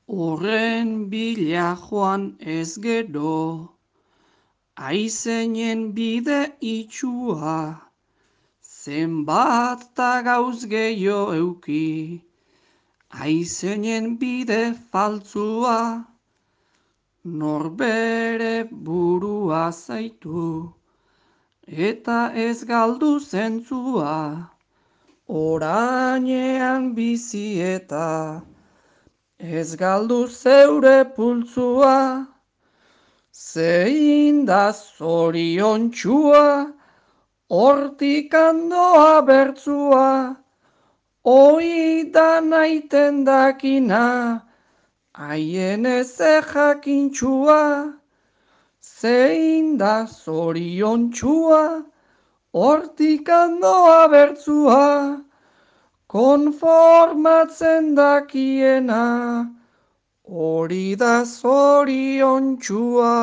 Horren bila joan ez gero, aizeinen bide itxua, zenbat ta gauz gehiago euki, aizeinen bide faltzua, norbere burua zaitu, eta ez galdu zentzua, orainean bizi eta ez galdu zeure pultzua, zein da zoriontxua, hortik andoa bertzua, hoi da naiten dakina, haien ez jakintxua, zein da zoriontxua, hortik andoa bertzua, konformatzen dakiena, hori da zoriontsua.